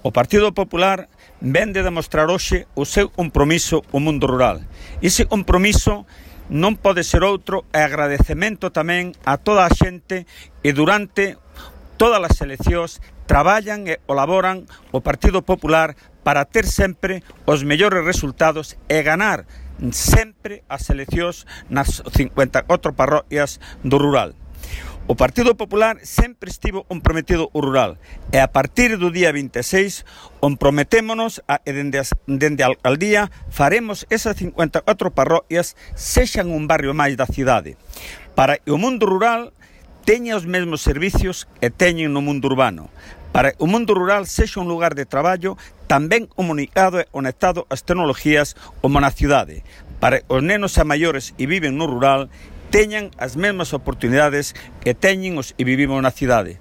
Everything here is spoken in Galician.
O Partido Popular vén de demostrar hoxe o seu compromiso ao mundo rural. Ese compromiso non pode ser outro e agradecemento tamén a toda a xente e durante todas as eleccións traballan e colaboran o Partido Popular para ter sempre os mellores resultados e ganar sempre as eleccións nas 54 parroquias do rural. O Partido Popular sempre estivo comprometido ao rural e a partir do día 26 comprometémonos e dende a alcaldía faremos esas 54 parroquias sexan un barrio máis da cidade para que o mundo rural teña os mesmos servicios que teñen no mundo urbano, para que o mundo rural sexa un lugar de traballo tamén comunicado e conectado ás tecnologías como na cidade, para que os nenos e maiores que viven no rural teñan as mesmas oportunidades que teñen os que vivimos na cidade.